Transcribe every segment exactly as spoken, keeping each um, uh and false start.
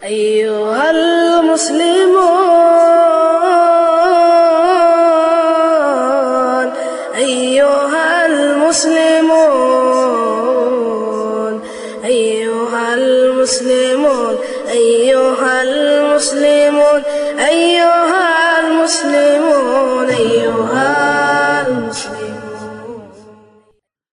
أيها المسلمون، أيها المسلمون، أيها المسلمون، أيها المسلمون، أيها المسلمون.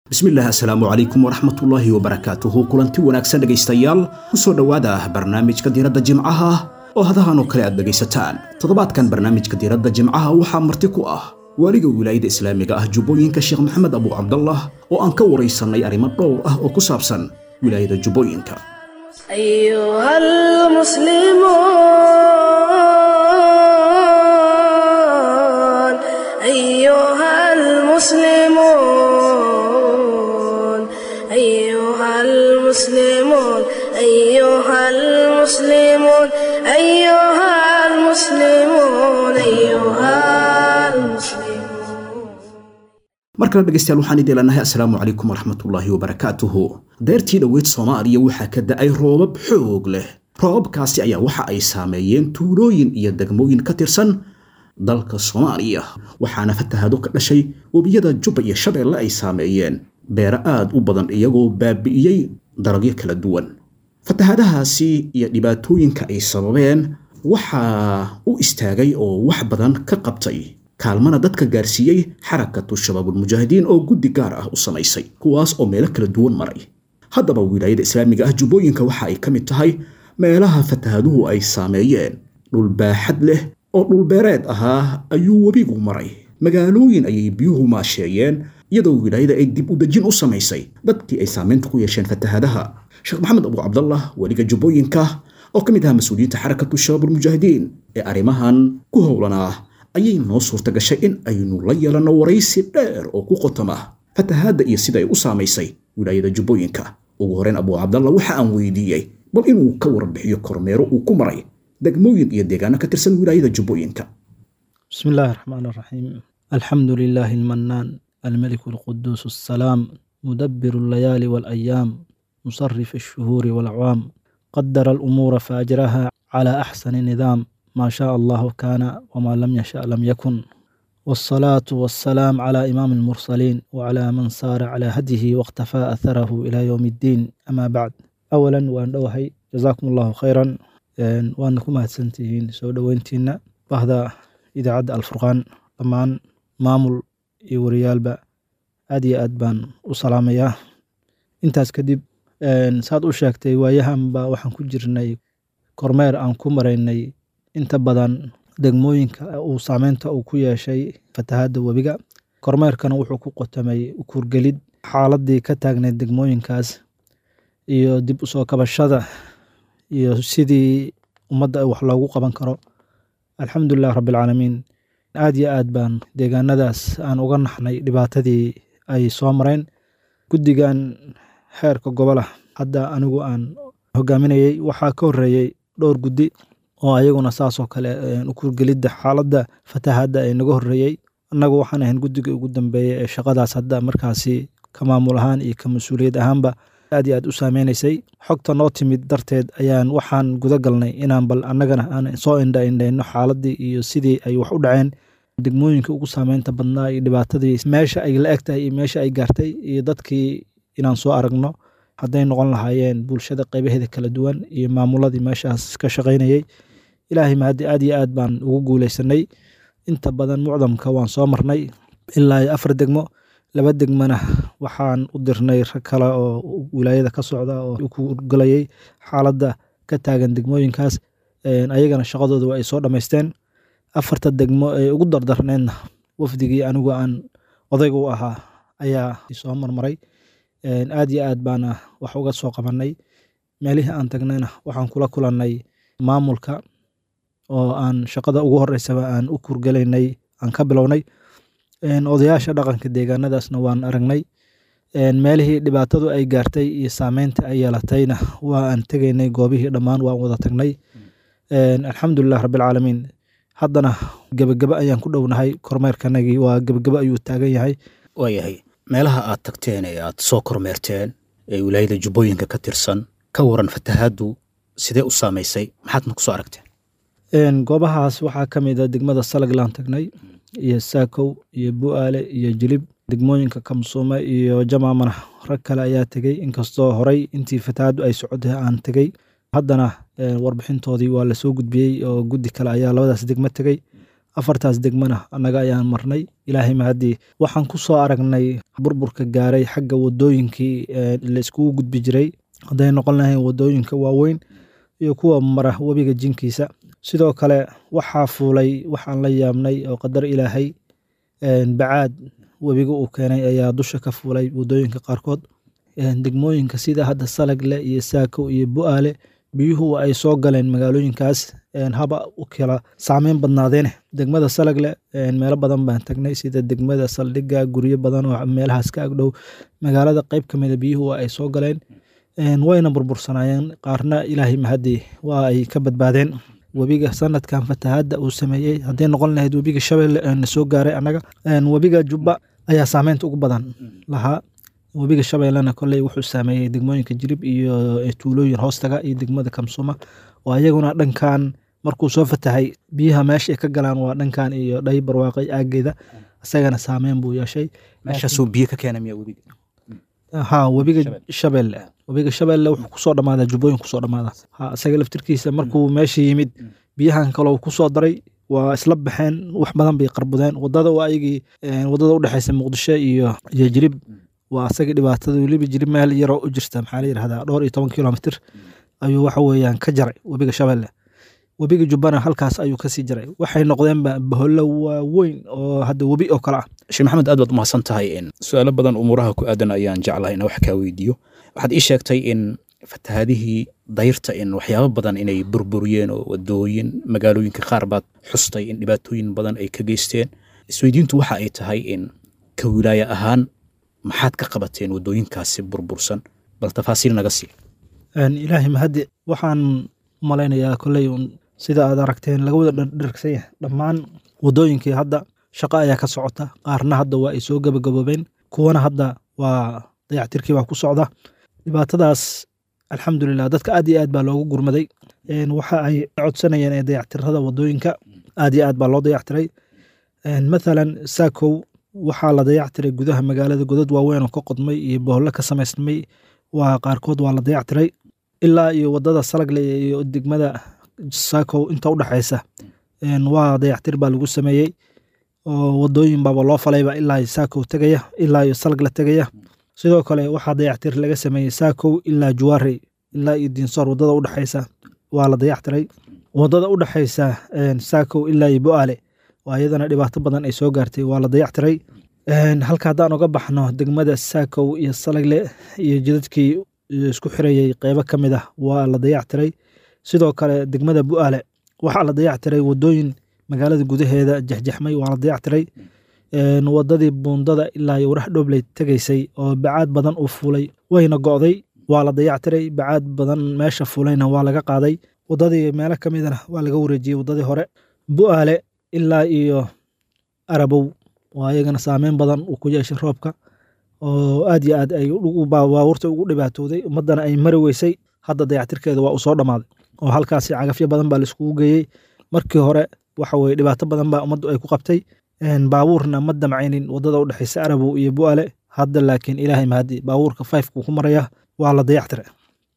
Bismillaah, assalaamu calaykum waraxmatullaahi wabarakaatuhu. Kulanti wanaagsan dhegaystayaal, ku soo dhowaada barnaamijka diiradda jimcaha oo hadahan oo kale aad dhegaysataan. Toddobaadkan barnaamijka diiradda jimcaha waxaa marti ku ah waaliga wilaayada islaamiga ah Jubbooyinka, Sheekh Maxamed Abu Cabdallah, oo aan ka waraysanay arrimo dhowr ah oo ku saabsan wilaayada Jubbooyinka. أيها المسلمون، أيها المسلمون، أيها المسلمون، أيها المسلمون، أيها المسلمون. Mar kale dhegaystayaal, waxaan idin leenahay assalaamu calaykum waraxmatullaahi wabarakaatuhu. Deertii dhoweyd Soomaaliya waxaa ka da'ay roobab xoog leh. Roobabkaasi ayaa waxa ay saameeyeen tuulooyin iyo degmooyin ka tirsan dalka Soomaaliya, waxaana fatahaado ka dhashay webiyada Jubba iyo Shabeelle ay saameeyeen beero aad u badan, iyagoo baabi'iyey dalagyo kala duwan. Fatahaadahaasi iyo dhibaatooyinka ay sababeen waxaa u istaagay oo wax badan ka qabtay, kaalmana dadka gaarsiiyey Xarakatu Shabaabulmujaahidiin oo guddi gaar ah u samaysay, kuwaas oo meelo kala duwan maray. Haddaba wilaayada islaamiga ah Jubbooyinka waxa ay ka mid tahay meelaha fatahaaduhu ay saameeyeen. Dhul baaxad leh oo dhulbeereed ahaa ayuu webigu maray, magaalooyin ayay biyuhu maasheeyeen, iyadoo wilaayada ay dib u dejin u samaysay dadkii ay saameynta ku yeesheen fatahaadaha. Sheekh Maxamed Abu Cabdallah, weliga Jubbooyinka oo ka mid ahaa mas-uuliyiinta Xarakatu Shabaabulmujaahidiin ee arrimahan ku howlanaa, ayay noo suurta gashay in aynu la yeelanno waraysi dheer oo ku qotoma fatahaadda iyo sida ay u saamaysay wilaayada Jubbooyinka. Ugu horreyn Abu Cabdallah waxa aan weydiiyey bal inuu ka warbixiyo kormeero uu ku maray degmooyin iyo deegaano ka tirsan wilaayada Jubbooyinka. بسم الله الرحمن الرحيم، الحمد لله المنان، الملك القدوس السلام، مدبر الليالي والأيام، مصرف الشهور والأعوام، قدر الأمور فأجراها على أحسن نظام، ما شاء الله كان وما لم يشأ لم يكن، والصلاة والسلام على إمام المرسلين وعلى من سار على هديه واقتفى أثره إلى يوم الدين، أما بعد. أولا وأن أوهي جزاكم الله خيرا وأنكم mahadsantihiin soo dhoweyntiina bahda idaacadda Alfurqaan, dhammaan maamul iyo wariyaalba aad iyo aad baan u salaamayaa. Intaas kadib, saad u sheegtay, waayahanba waxaan ku jirnay kormeer aan ku maraynay inta badan degmooyinka uu saameynta uu ku yeeshay fatahaadda webiga. Kormeerkana wuxuu ku qotamay kuurgelid xaaladii ka taagnayd degmooyinkaas iyo dib u soo kabashada iyo sidii ummadda wax loogu qaban karo. Alxamdulilah rabbilcaalamiin, aad iyo aad baan deegaanadaas aan uga naxnay dhibaatadii ay soo mareen. Guddigan xeerka gobolah hadda anigu aan hogaaminayey, waxaa ka horreeyey dhowr guddi oo ayaguna saasoo kale kuurgelidda xaaladda fatahaadda ay naga horreeyey. Annagu waxaan ahayn guddiga ugu dambeeyey ee shaqadaas hadda markaasi ka maamul ahaan iyo ka mas-uuliyad ahaanba aad iyo aad u saameynaysay. Xogta noo timid darteed ayaan waxaan guda galnay inaan bal annagana aan soo indha indhayno xaaladdii iyo sidii ay wax u dhaceen, degmooyinka ugu saameynta badnaa iyo dhibaatadii meesha ay la eg tahay iyo meesha ay gaartay iyo dadkii inaan soo aragno, hadday noqon lahaayeen bulshada qaybaheeda kala duwan iyo maamuladii meeshaas ka shaqaynayay. Ilaahay mahadi, aad iyo aad baan ugu guuleysanay. Inta badan mucdamka waan soo marnay ilaa iyo afar degmo. Laba degmana waxaan u dirnay rag kale oo wilaayada ka socda oo ku galayay xaaladda ka taagan degmooyinkaas, ayagana shaqadooda waa ay soo dhammaysteen. Afarta degmo ee ugu dardarneedna wafdigii anigu aan odayga u ahaa ayaa soo marmaray. Aad iyo aad baana wax uga soo qabanay. Meelihii aan tagnayna waxaan kula kulannay maamulka oo aan shaqada ugu horeysaba aan u kurgalaynay aan ka bilownay. Odayaasha dhaqanka deegaanadaasna waan aragnay. Meelihii dhibaatadu ay gaartay iyo saameynta ay yeelatayna waa aan tegaynay, goobihii dhammaan waan wada tagnay. Alxamdulilah rabbilcaalamiin, haddana gebagebe ayaan ku dhownahay, kormeerkanagii waa gebagebe ayuu taagan yahay. Waayahay, meelaha aad tagteen ee aad soo kormeerteen ee wilaayada Jubbooyinka ka tirsan, ka waran fatahaaddu Sidee u saamaysay? Maxaadna kusoo aragteen? Goobahaas waxaa ka mid a degmada Salaglaan tagnay, iyo Saakow iyo Bu'aale iyo Jilib, degmooyinka Kamsuume iyo Jamaamana rag kale ayaa tegey. Inkastoo horey intii fatahaaddu ay socotay aan tegey, haddana warbixintoodii waa lasoo gudbiyey oo guddi kale ayaa labadaas degmo tegey. Afartaas degmana annaga ayaan marnay. Ilaahay mahadii, waxaan ku soo aragnay burburka gaaray xagga wadooyinkii la iskugu gudbi jiray, hadday noqon lahayn wadooyinka waaweyn iyo kuwa mara webiga jinkiisa. Sidoo kale waxaa fuulay waxaan la yaabnay oo qadar Ilaahay, bacaad webiga uu keenay ayaa dusha ka fuulay wadooyinka qaarkood. Degmooyinka sida hadda Salagle iyo Saako iyo Bu'aale biyuhu ay soo galeen magaalooyinkaas, haba u kala saameyn badnaadeene. Degmada Salagle meelo badan baan tagnay, sida degmada saldhigga, guryo badan oo meelahaas ka agdhow magaalada qayb ka mida biyuhu ay soo galeen, wayna burbursanaayeen, qaarna Ilaahay mahadii waa ay ka badbaadeen. Webiga sanadkan fatahaadda uu sameeyey, hadday noqon lahayd webiga Shabeelle na soo gaaray annaga, webiga Jubba ayaa saameynta ugu badan lahaa. Webiga Shabeellena kolley wuxuu saameeyey degmooyinka Jilib iyo tuulooyin hoostaga iyo degmada Kamsuma, oo ayaguna dhankan markuu soo fatahay biyaha meesha ay ka galaan waa dhankan iyo Dhay Barwaaqay aaggeeda, isagana saameyn buu yeeshay. Meeshaasuu biyo ka keena miya webiga? Ha, webiga Shabeelle, webiga Shabeelle wuxuu kusoo dhammaadaa Jubbooyin kusoo dhammaadaa. Ha, isaga laftirkiisa markuu meesha yimid biyahan kaloo kusoo daray, waa isla baxeen, wax badan bay qarbudeen wadada. Waa ayagii wadada udhexeysa Muqdisho iyo iyo Jilib, waa asagii dhibaatada. Weliba Jilib meel yaroo u jirta, maxaa la yidhahdaa, dhowr iyo toban kilomitir ayuu waxa weeyaan ka jaray webiga Shabeelle. Webiga Jubbana halkaas ayuu kasii jaray, waxay noqdeenba bahollo waaweyn oo hadda webi oo kale ah. Sheekh Maxamed, aad baad umahadsan tahay. Su-aalo badan umuuraha ku aadan ayaan jeclahay inaan wax kaa weydiiyo. Waxaad ii sheegtay in fatahaadihii dayrta in waxyaabo badan inay burburiyeen oo wadooyin magaalooyinka qaar baad xustay in dhibaatooyin badan ay ka geysteen. Isweydiintu waxa ay tahay in ka wilaaya ahaan maxaad ka qabateen wadooyinkaasi burbursan? Bal tafaasiil naga sii. Ilaahay mahadi, waxaan u malaynayaa kolley un sida aad aragteen laga wada dhardhargsan yahay dhammaan wadooyinkii hadda shaqo ayaa ka socota. Qaarna hadda waa ay soo gabagaboobeen, kuwana hadda waa dayactirkii baa ku socda. Dhibaatadaas alxamdulilah dadka aad iyo aad baa loogu gurmaday. Waxa ay codsanayeen ee dayactirada wadooyinka aad iyo aad baa loo dayactiray. Mathalan Saakow waxaa la dayactiray gudaha magaalada, godad waaweyn oo ka qodmay iyo bohollo ka samaysmay waa qaarkood waa la dayactiray. Ilaa iyo wadada Salagle iyo degmada Saakow inta udhexeysa waa dayactir baa lagu sameeyey, oo wadooyin baaba loo falayba ilaa iyo Saakow tegaya, ilaa iyo Salagle tegaya. Sidoo kale waxaa dayactir laga sameeyey Saakow ilaa Juwaarey, ilaa iyo Diinsoor wadada udhexeysa waa la dayactiray. Wadada udhexeysa Saakow ilaa iyo Bu'aale oo iyadana dhibaato badan ay soo gaartay waa la dayactiray. Halka haddaan uga baxno degmada Saakow iyo Salagle iyo jidadkii isku xirayey qeybo ka mid ah waa la dayactiray. Sidoo kale degmada Bu'aale waxaa la dayactiray wadooyin magaalada gudaheeda jexjexmay waa la dayactiray. Wadadii buundada ilaa iyo Warax Dhobley tegaysay oo bacaad badan u fuulay wayna go'day, waa la dayactiray. Bacaad badan meesha fuulayna waa laga qaaday, wadadii meelo ka midana waa laga wareejiyey wadadii hore. Bu'aale ilaa iyo Arabow oo ayagana saameyn badan uu ku yeeshay roobka oo aad iyo aad ay baabuurta ugu dhibaatooday, ummadana ay mari weysay, hadda dayactirkeeda waa uu soo dhammaaday oo halkaasi cagafyo badan baa laiskugu geeyey. Markii hore waxa weye dhibaato badan baa ummaddu ay ku qabtay, baabuurna ma damcaynin wadada udhexeysa Arabow iyo Bu'aale. Hadda laakiin Ilaahay mahadi baabuurka fifekuu ku maraya, waa la dayactiray.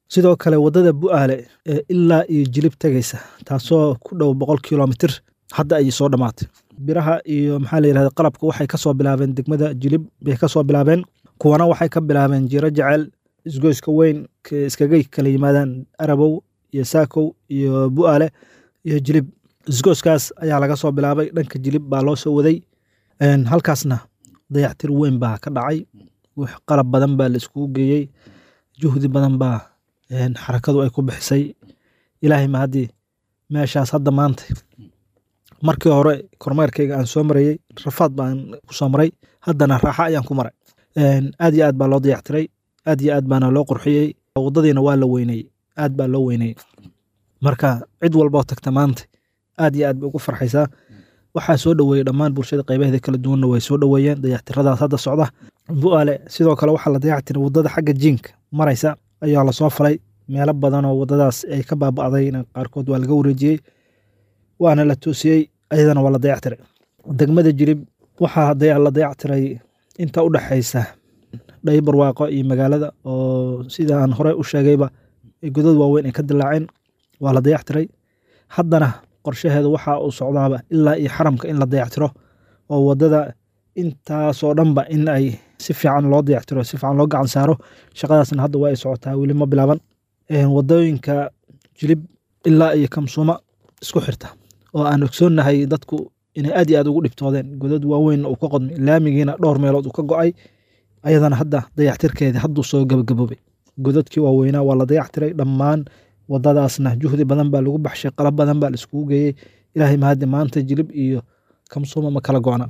Sidoo kale wadada Bu'aale ee ilaa iyo Jilib tegaysa, taasoo ku dhow boqol kilomitir, hadda ayay soo dhammaatay. Biraha iyo maxaa la yirahda qalabka waxay kasoo bilaabeen degmada Jilib bay kasoo bilaabeen, kuwana waxay ka bilaabeen Jiro Jecel, isgoyska weyn iskaga kala yimaadaan Arabow iyo Saakow iyo Bu'aale iyo Jilib. Isgoyskaas ayaa laga soo bilaabay, dhanka Jilib baa loo soo waday. Halkaasna dayactir weyn baa ka dhacay, wax qalab badan baa la iskugu geeyey, juhdi badan baa xarakadu ay ku bixisay. Ilaahay mahadii meeshaas hadda maanta, markii hore kormeerkayga aan soo marayey rafaad baan ku soo maray, haddana raaxa ayaan ku maray. Aad iyo aad baa loo dayactiray, aad iyo aad baana loo qurxiyey, waddadiina waa la weyneyey, aad baa loo weyneyey. Marka cid walboo tagta maanta aad iyo aad bay ugu farxaysaa. Waxaa soo dhoweeyey dhammaan bulshada qaybaheeda kala duwanna way soo dhoweeyeen dayactiradaas hadda socda. Bu'aale sidoo kale waxaa la dayactiray waddada xagga jiinka maraysa ayaa lasoo falay, Meelo badan oo waddadaas ay ka baaba'dayna qaarkood waa laga wareejiyey, waana la toosiyey, ayadana waa la dayactiray. Degmada Jilib waxaa la dayactiray inta u dhaxaysa Dhaybarwaaqo iyo magaalada, oo sida aan horey u sheegayba godad waaweyn ay ka dilaaceen, waa la dayactiray. Haddana qorshaheedu waxa uu socdaaba ilaa iyo xaramka in la dayactiro, oo waddada intaasoo dhanba in ay si fiican loo dayactiro, si fiican loo gacan saaro. Shaqadaasna hadda waa ay socotaa, weli ma bilaaban. Waddooyinka Jilib ilaa iyo Kamsuuma isku xirta oo aan ogsoonnahay dadku inay aad iyo aad ugu dhibtoodeen, godad waaweyn uu ka qodmay, laamigiina dhowr meelood uu ka go'ay, ayadana hadda dayactirkeedii hadduu soo gabagaboobay. Godadkii waaweynaa waa la dayactiray dhammaan, waddadaasna juhdi badan baa lagu baxshay, qalab badan baa la iskugu geeyey. Ilaahay mahadi, maanta Jilib iyo Kamsuuma ma kala go'na,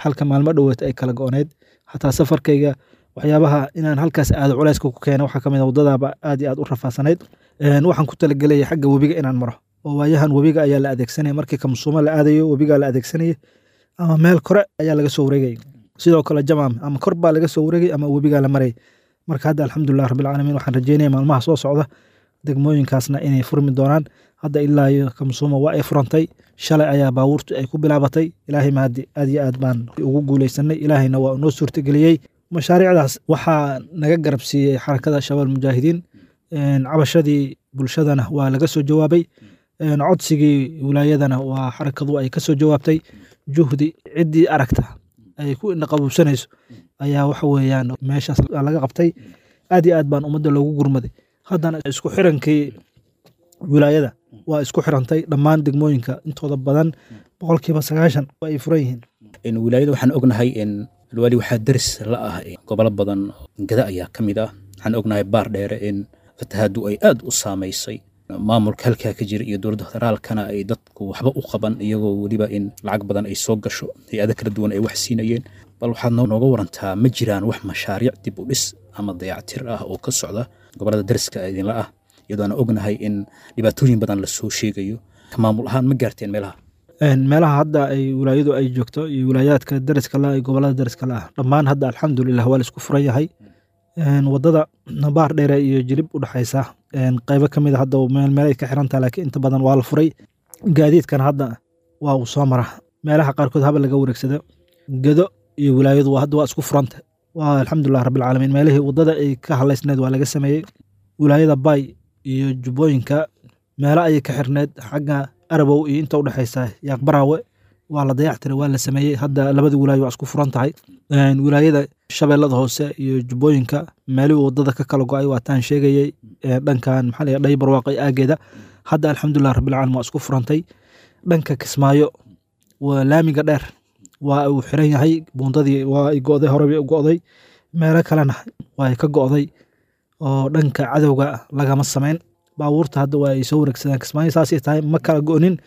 halka maalmo dhoweed ay kala go'oneyd. Xataa safarkayga waxyaabaha inaan halkaas aado culayska ku keena waxaa kamid ah waddadaaba aad iyo aad u rafaasanayd. Waxaan ku talagelayay xagga webiga inaan maro, oo waayahan webiga ayaa la adeegsanaya markii Kamsuuma la aadayo, webigaa la adeegsanaya ama meel kore ayaa laga soo wareegay. Sidoo kale Jamaam ama kor baa laga soo wareegay ama webigaa la marayay. Marka hadda alxamdulilah rabbilcaalamiin, waxaan rajeynaya maalmaha soo socda degmooyinkaasna inay furmi doonaan. Hadda ilaa iyo Kamsuuma waa ay furantay, shalay ayaa baabuurtu ay ku bilaabatay. Ilaahay mahadi, aad iyo aad baan ugu guuleysanay, ilaahayna waa noo suurtageliyey. Mashaariicdaas waxaa naga garab siiyey Xarakada Shabaab Mujaahidiin, cabashadii bulshadana waa laga soo jawaabay, codsigii wilaayadana waa xarakadu ay ka soo jawaabtay. Juhdi ciddii aragta ay ku indhaqabuubsanayso ayaa waxa weeyaan meeshaas laga qabtay. Aad iyo aad baan ummadda loogu gurmaday. Haddana isku xirankii wilaayada waa isku xirantay, dhammaan degmooyinka intooda badan boqolkiiba sagaashan waa ay furan yihiin. Wilaayada waxaan ognahay in alwaali waxaa daris la ah gobolo badan, Gada ayaa ka mid ah. Waxaan ognahay Baar Dheere in fatahaadu ay aad u saamaysay, maamulka halkaa ka jira iyo dowladda federaalkana ay dadku waxba u qaban, iyagoo weliba in lacag badan ay soo gasho, hay-ado kala duwan ay wax siinayeen. Bal waxaad nooga warantaa, ma jiraan wax mashaariic dib u dhis ama dayactir ah oo ka socda gobolada dariska idinla ah, iyadoo aan ognahay in dhibaatooyin badan lasoo sheegayo? Ka maamul ahaan ma gaarteen meelaha Meelaha hadda ay wilaayadu ay joogto iyo wilaayaadka dariska la, gobolada dariska la ah dhammaan hadda alxamdulilah waa la isku furan yahay. Waddada Baar Dheere iyo Jilib u dhexaysa qaybo ka mid a hadda meel meel ay ka xiran tahay, laakiin inta badan waa la furay. Gaadiidkan hadda waa uu soo mara, meelaha qaarkood haba laga wareegsado. Gedo iyo wilaayadu waa hadda waa isku furanta, waa alxamdulilah rabbilcaalamiin. Meelihii waddada ay ka halaysneed waa laga sameeyey. Wilaayada Baay iyo Jubbooyinka meelo ayay ka xirneed, xagga Arabow iyo inta udhexaysa Yaaqbaraawe waa la dayactiray, waa la sameeyey. Hadda labada wilaayo waa isku furan tahay. Wilaayada Shabeellada Hoose iyo Jubbooyinka meelihii waddada ka kala go'ay waa taan sheegayey, dhankan maxaa la Dhay Barwaaqo aageeda, hadda alxamdulilah rabbilcaalamiin waa isku furantay. Dhanka Kismaayo waa laamiga dheer waa uu xiran yahay, buundadii waa ay go'day, hore bay u go'day, meelo kalena waa ay ka go'day oo dhanka cadowga lagama samayn. Baabuurta hadda waa ay soo wareegsadaan Kismaayo, saasay tahay ma kala go'nin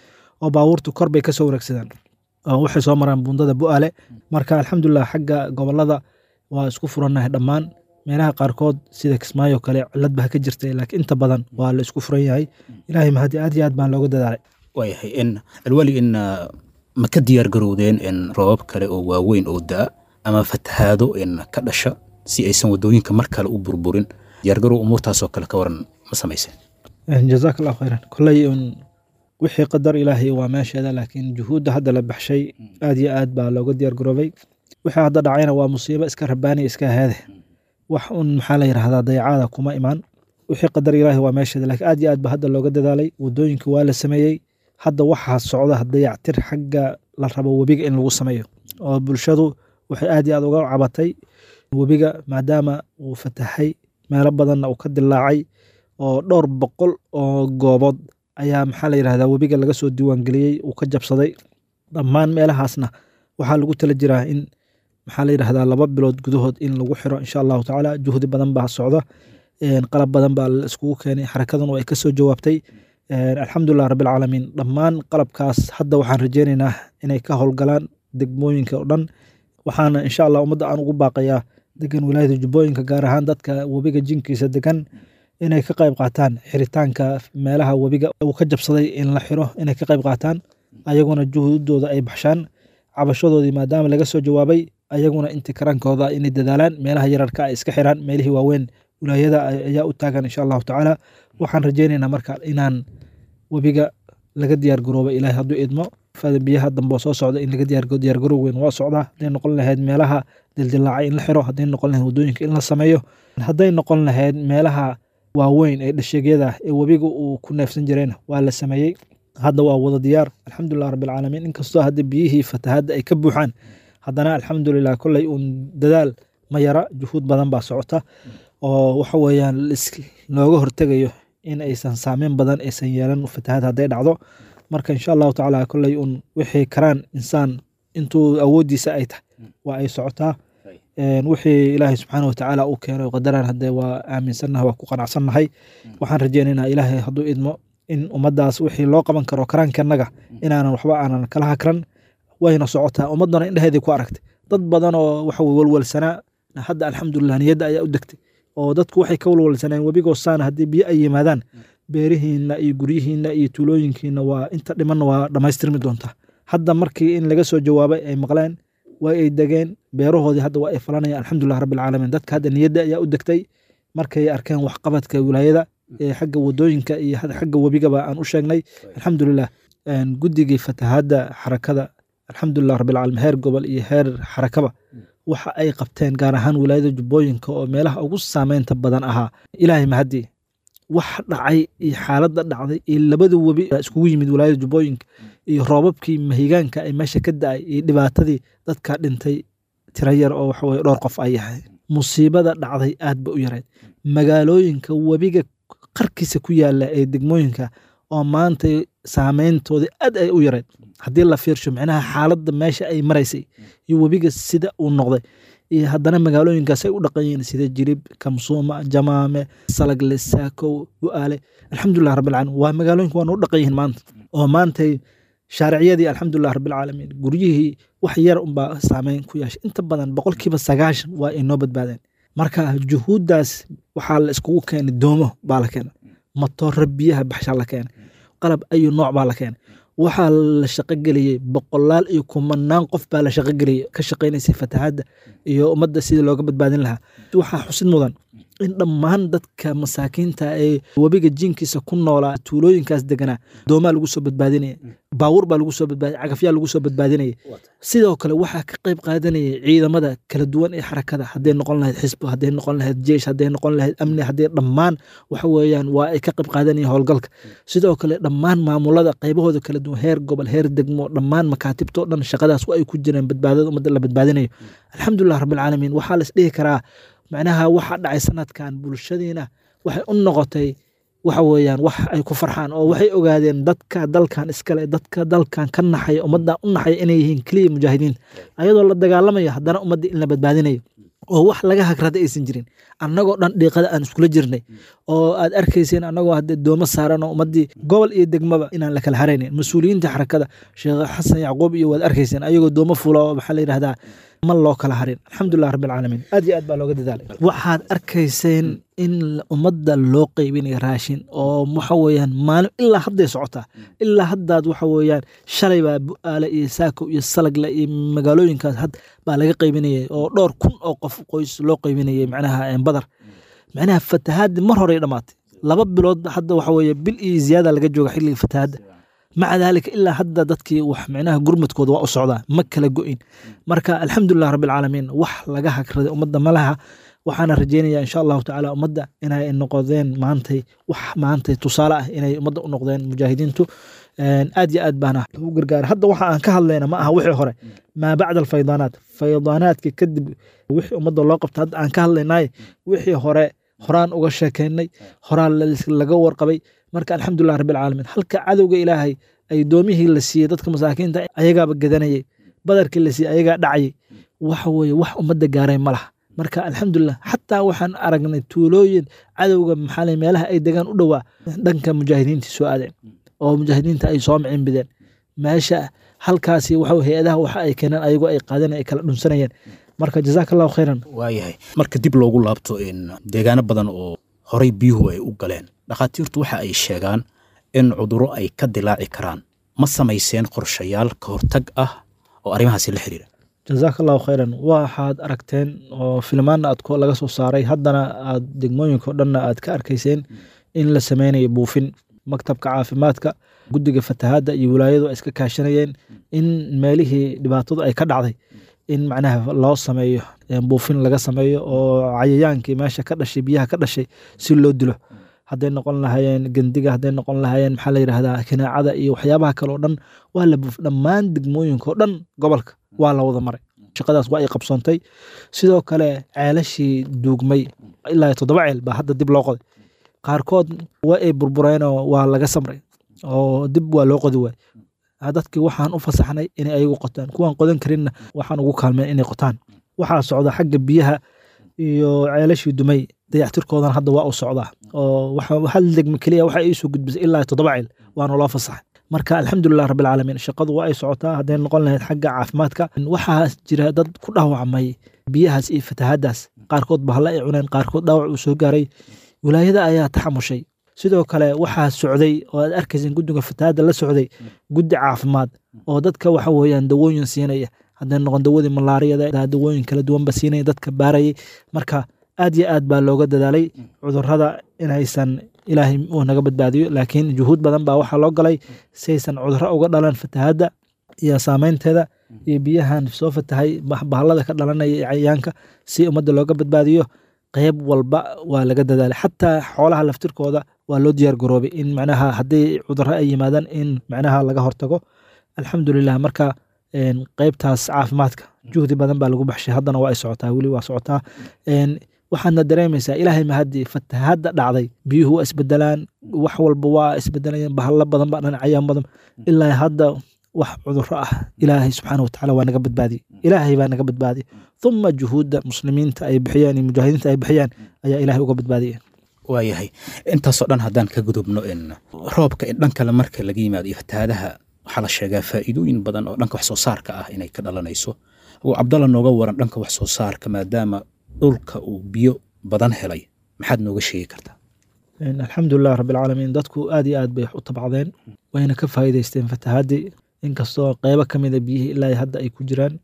oo baabuurtu kor bay ka soo wareegsadaan oo waxay soo maraan buundada Bu'aale. Marka alxamdulilah xagga gobolada waa isku furannahay dhammaan. Meelaha qaarkood sida Kismaayo kale cilad baa ka jirtay, laakiin inta badan waa la isku furan yahay. Ilaahay mahadi, aad iyo aad baan looga dadaalay. Waayahay in alwali, in ma ka diyaar garowdeen in roobab kale oo waaweyn oo da'a ama fatahaado in ka dhasha si aysan waddooyinka mar kale u burburin? Diyaargarow umuurtaasoo kale ka waran ma samayseen? Jazaak allahu khayran. Kolley un wixii qadar ilaahay waa meesheeda, laakiin juhuudda hadda la baxshay aad iyo aad baa looga diyaar garoobay. Wixii hadda dhacayna waa musiibo iska rabaani iska ahaade, wax un maxaa la yidhahdaa dayacaada kuma imaan. Wixii qadar ilaahay waa meesheeda, laakiin aad iyo aad baa hadda looga dadaalay. Waddooyinka waa la sameeyey, hadda waxaa socda dayactir xagga la rabo webiga in lagu sameeyo, oo bulshadu waxay aad iyo aad uga cabatay webiga maadaama uu fatahay, meelo badanna uu ka dilaacay, oo dhowr boqol oo goobood ayaa maxaa la yidhahdaa webiga laga soo diiwaangeliyey uu ka jabsaday. Dhammaan meelahaasna waxaa lagu tala jiraa in maxaa la yidhahdaa laba bilood gudahood in lagu xiro insha allahu tacaala. Juhdi badan baa socda, qalab badan baa la iskugu keenay, xarakaduna ay kasoo jawaabtay, alxamdulilah rabbilcaalamiin. Dhammaan qalabkaas hadda waxaan rajeynaynaa inay ka howlgalaan degmooyinka oo dhan. Waxaana insha allah ummadda aan ugu baaqayaa degan wilaayada Jubbooyinka, gaar ahaan dadka webiga jinkiisa degan, inay ka qayb qaataan xiritaanka meelaha webiga uu ka jabsaday in la xiro, inay ka qayb qaataan, ayaguna juhuudooda ay baxshaan. Cabashadoodii maadaama laga soo jawaabay, ayaguna intii karankooda inay dadaalaan, meelaha yararka ay iska xiraan, meelihii waaweyn wilaayada ayaa u taagan insha allahu tacaala. Waxaan rajaynaynaa marka inaan webiga laga diyaar garoobo, Ilaahay hadduu idmo, fada biyaha dambe oo soo socda in laga diyaar diyaar garoow weyn waa socdaa. Hadday noqon lahayd meelaha dildilaacay in la xiro, hadday noqon lahayd waddooyinka in la sameeyo, hadday noqon lahayd meelaha waaweyn ee dhasheegyada ee webiga uu ku neefsan jirayna waa la sameeyey. Hadda waa wada diyaar, alxamdulilah rabbilcaalamiin. Inkastoo hadda biyihii fatahaadda ay ka buuxaan, haddana alxamdulilah kolley uun dadaal ma yara, juhuud badan baa socota oo waxa weeyaan looga hortegayo in aysan saameyn badan aysan yeelan fatahaad hadday dhacdo. Marka insha Allahu tacaala kolley uun wixii karaan insaan intuu awooddiisa ay tahay waa ay socotaa. Wixii Ilaahay subxaana watacaala uu keenay qadaran haddee waa aaminsannahay, waa ku qanacsannahay. Waxaan rajaynaynaa Ilaahay hadduu idmo in ummaddaas wixii loo qaban karo karaankanaga inaanan waxba aanan kala hakran. Wayna socotaa, ummaddana indhaheedii ku aragtay. Dad badan oo waxa walwalsanaa hadda alxamdulilah niyadda ayaa u degtay, oo dadku waxay ka walwalsaneen webigoo saana haddii biyo ay yimaadaan beerihiinna iyo guryihiinna iyo tuulooyinkiina waa inta dhimanna waa dhammaystirmi doontaa. Hadda markii in laga soo jawaabay ay maqleen, waa ay degeen beerahoodii, hadda waa ay falanayaan, alxamdulilah rabbilcaalamiin. Dadka hadda niyadda ayaa u degtay markay arkeen waxqabadka wilaayada ee xagga wadooyinka iyo xagga webigaba aan u sheegnay, alxamdulilah. Guddigii fatahaadda xarakada, alxamdulilah rabbilcaalamiin, heer gobol iyo heer xarakaba waxa ay qabteen, gaar ahaan wilaayada Jubbooyinka oo meelaha ugu saameynta badan ahaa, Ilaahay mahadii wax dhacay iyo xaaladda dhacday iyo labada webi iskugu yimid wilaayada Jubbooyinka iyo roobabkii mahigaanka ay meesha ka da'ay iyo dhibaatadii dadka dhintay tiro yar oo waxa weye dhowr qof ay yahay, musiibada dhacday aad ba u yarayd. Magaalooyinka webiga qarkiisa ku yaala ee degmooyinka oo maanta saameyntoodii aad ay u yarayd haddii la fiirsho micnaha xaaladda meesha ay maraysay iyo webiga sida uu noqday, iyo haddana magaalooyinkaas ay u dhaqan yihiin sida Jilib, Kamsuuma, Jamaame, Salagle, Saakow, Bu'aale, alxamdulilah rabbilcaalamiin, waa magaalooyinka waa noo dhaqan yihiin maanta oo maantay shaariciyadii alxamdulilah rabbilcaalamiin guryihii wax yar unbaa saameyn ku yeeshay, inta badan boqolkiiba sagaashan waa ay noo badbaadeen. Marka juhuuddaas waxaa la iskugu keenay, doomo baa la keenay, matooro biyaha baxshaa la keenay, qalab ayu nooc baa la keenay, waxaa la shaqogeliyey boqolaal iyo kumanaan qof baa la shaqogeliyey ka shaqaynaysay fatahaadda iyo ummadda sidii looga badbaadin lahaa. Waxaa xusid mudan in dhammaan dadka masaakiinta ee webiga jiinkiisa ku noolaa tuulooyinkaas deganaa doomaa lagu soo badbaadinaya, baawur baa lagu soo badbaadinaya, cagafyaa lagu soo badbaadinaya. Sidoo kale waxaa ka qayb qaadanayay ciidamada kala duwan ee xarakada, hadday noqon lahayd xisbo, hadday noqon lahayd jeesh, hadday noqon lahayd amni, hadday dhammaan waxa weeyaan waa ay ka qayb qaadanayeen howlgalka. Sidoo kale dhammaan maamulada qaybahooda kala duwan, heer gobol, heer degmo, dhammaan makaatibtoo dhan shaqadaas waa ay ku jireen badbaadada ummadda la badbaadinayo, alxamdulilah rabbilcaalamiin. Waxaa la isdhihi karaa macnaha waxa dhacay sanadkan bulshadiina waxay u noqotay waxa weeyaan wax ay ku farxaan, oo waxay ogaadeen dadka dalkan iskale, dadka dalkan ka naxaya, ummaddan u naxaya inay yihiin keliya mujaahidiinta, ayadoo la dagaalamayo haddana ummadda in la badbaadinayo oo wax laga hagrada aysan jirin. Annagoo dhan dhiiqada aan iskula jirnay oo aad arkayseen annagoo hadde doomo saaran oo ummaddii gobol iyo degmaba inaan la kala haraynin. Mas-uuliyiinta xarakada Sheekh Xasan Yacquub iyo waad arkayseen ayagoo doomo fula oo maxaa la yidhahdaa ma loo kala harin, alxamdulilah rabbilcaalamiin, aad iyo aad baa looga dadaalay. Waxaad arkayseen in ummadda loo qaybinayo raashin oo waxa weeyaan maalin ilaa hadday socotaa, ilaa haddaad waxa weeyaan shalay baa Bu'aale iyo Saako iyo Salagle iyo magaalooyinkaas had baa laga qaybinayay oo dhowr kun oo qof qoys loo qaybinayay macnaha badar. Macnaha fatahaaddi mar horey dhammaatay laba bilood, hadda waxa weeye bil iyo ziyaada laga jooga xilliga fatahaadda, maca daalika ilaa hadda dadkii wax micnaha gurmadkooda waa u socdaa, ma kala go'in. Marka alxamdulilah rabbilcaalamiin, wax laga hagraday ummadda ma laha. Waxaana rajaynayaa insha Allahu tacaala ummadda inay noqdeen maantay wax maantay tusaale ah inay ummadda u noqdeen mujaahidiintu, aad iyo aad baana lagu gargaara. Hadda waxa aan ka hadlayna ma aha wixii hore, maa bacda alfaydaanaat, faydaanaadka kadib wixii ummadda loo qabta hadda aan ka hadlaynay, wixii hore horaan uga sheekeynay, horaan laga warqabay. Marka alxamdulilah rabbilcaalamiin, halka cadowga Ilaahay ay doomihii la siiyey dadka masaakiinta ayagaaba gadanayay, badarkii la siiyey ayagaa dhacayay, waxa weeye wax ummadda gaaray ma laha. Marka alxamdulilah xataa waxaan aragnay tuulooyin cadowga maxaa meelaha ay degaan u dhowaa dhanka mujaahidiinta soo aadeen oo mujaahidiinta ay soo micimbideen meesha halkaasi, waxa hay-adaha waxa ay keeneen ayagoo ay qaadan ay kala dhunsanayeen. Marka jazaaka Allahu khayran. Waayahay, marka dib loogu laabto in deegaano badan oo horay biyuhu ay u galeen, dhakhaatiirtu waxa ay sheegaan in cudurro ay ka dilaaci karaan. Ma samayseen qorshayaal ka hortag ah oo arrimahaasi la xiriira? Jazaaka Allahu khayran. Waxaad aragteen oo filmaanna aad laga soo saaray, haddana aad degmooyinka o dhanna aad ka arkayseen in la sameynayo buufin. Maktabka caafimaadka, guddiga fatahaadda iyo wilaayadu ay iska kaashanayeen in meelihii dhibaatadu ay ka dhacday in macnaha loo sameeyo buufin laga sameeyo oo cayayaankii meesha ka dhashay, biyaha ka dhashay si loo dilo. Hadday noqon lahaayeen gendiga, hadday noqon lahaayeen maxaa la yidhahdaa kinaacada iyo waxyaabaha kale oo dhan waa la buuf. Dhammaan degmooyinka oo dhan gobolka waa la wada maray, shaqadaas waa ay qabsoontay. Sidoo kale ceelashii duugmay ilaa toddoba ceel baa hadda dib loo qoday. Qaarkood waa ay burbureenoo waa laga samray oo dib waa loo qodi waay. Dadkii waxaan u fasaxnay inay ayagu qotaan, kuwaan qodan karinna waxaan ugu kaalmeen inay qotaan. Waxaa socda xagga biyaha iyo ceelashii dumay dayactirkoodan hadda waa u socdaa oo hal degmo keliya waxa ay soo gudbisay ilaa toddoba ceel, waana loo fasaxay. Marka alxamdulilah rabbilcaalamiin, shaqadu waa ay socotaa. Hadday noqon lahayd xagga caafimaadka, waxaa jira dad ku dhaawacmay biyahaas iyo fatahaadaas, qaarkood bahalla ay cuneen, qaarkood dhaawac uu soo gaaray, wilaayada ayaa taxamushay. Sidoo kale waxaa socday oo aad arkaysan guddiga fatahaadda la socday guddi caafimaad oo dadka waxa weeyaan dawooyin siinaya, hadday noqon dawadii malaariyada, dawooyin kala duwanba siinaya, dadka baarayay. Marka aad iyo aad baa looga dadaalay cudurrada inaysan, ilaahay uu naga badbaadiyo, laakiin juhuud badan baa waxaa loo galay si aysan cudurro uga dhalan fatahaadda iyo saameynteeda iyo biyahan soo fatahay bahallada ka dhalanaya iyo cayayaanka, si ummadda looga badbaadiyo. Qeyb walba waa laga dadaalay, xataa xoolaha laftirkooda waa loo diyaar garoobay in macnaha haddii cudurro ay yimaadaan in macnaha laga hortago. Alxamdulilah, marka qeybtaas caafimaadka juhdi badan baa lagu baxshay, haddana waa ay socotaa, weli waa socotaa. Waxaadna dareemaysaa ilaahay mahadii fatahaadda dhacday, biyuhu waa isbedelaan, wax walba waa isbedelayaan, bahalo badan baa dhan, cayaan badan. Ilaa hadda wax cudurro ah ilaahay subxaana watacaala waa naga badbaadiyey, ilaahay baa naga badbaadiyey. Thuma juhuudda muslimiinta ay bixiyeen iyo mujaahidiinta ay bixiyeen ayaa ilaahay uga badbaadiyey. Waayahay, intaasoo dhan haddaan ka gudubno, in roobka in dhan kale marka laga yimaado iyo fatahaadaha, waxaa la sheegaa faa'iidooyin badan oo dhanka wax soo saarka ah inay ka dhalanayso. Oo Cabdalla nooga waran dhanka wax soo saarka, maadaama dhulka uu biyo badan helay, maxaad nooga sheegi kartaa? Alxamdulilah rabbilcaalamiin, dadku aad iyo aad bay wax u tabcadeen, wayna ka faa'iidaysteen fatahaadii, inkastoo qeybo ka mida biyihii ilaa hadda ay ku jiraan